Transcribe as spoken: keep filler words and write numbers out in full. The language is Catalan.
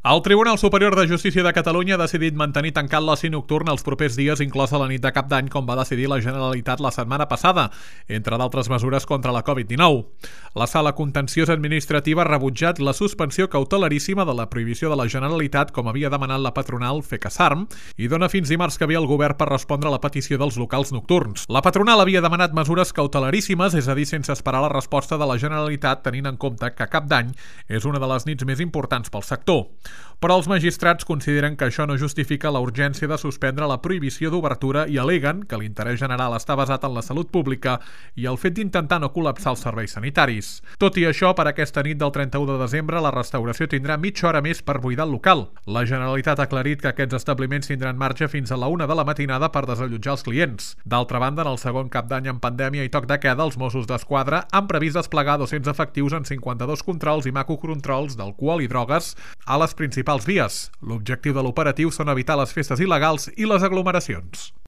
El Tribunal Superior de Justícia de Catalunya ha decidit mantenir tancat l'oci nocturn els propers dies, inclosa la nit de Cap d'Any, com va decidir la Generalitat la setmana passada, entre d'altres mesures contra la covid dinou. La Sala Contenciosa Administrativa ha rebutjat la suspensió cautelaríssima de la prohibició de la Generalitat, com havia demanat la patronal FECASARM, i dona fins dimarts que ve el govern per respondre a la petició dels locals nocturns. La patronal havia demanat mesures cautelaríssimes, és a dir, sense esperar la resposta de la Generalitat, tenint en compte que Cap d'Any és una de les nits més importants pel sector. Però els magistrats consideren que això no justifica la urgència de suspendre la prohibició d'obertura i al·leguen que l'interès general està basat en la salut pública i el fet d'intentar no col·lapsar els serveis sanitaris. Tot i això, per aquesta nit del trenta-u de desembre, la restauració tindrà mitja hora més per buidar el local. La Generalitat ha aclarit que aquests establiments tindran marge fins a la una de la matinada per desallotjar els clients. D'altra banda, en el segon Cap d'Any en pandèmia i toc de queda, els Mossos d'Esquadra han previst desplegar dos-cents efectius en cinquanta-dos controls i macrocontrols d'alcohol i drogues a les principals vies. L'objectiu de l'operatiu són evitar les festes il·legals i les aglomeracions.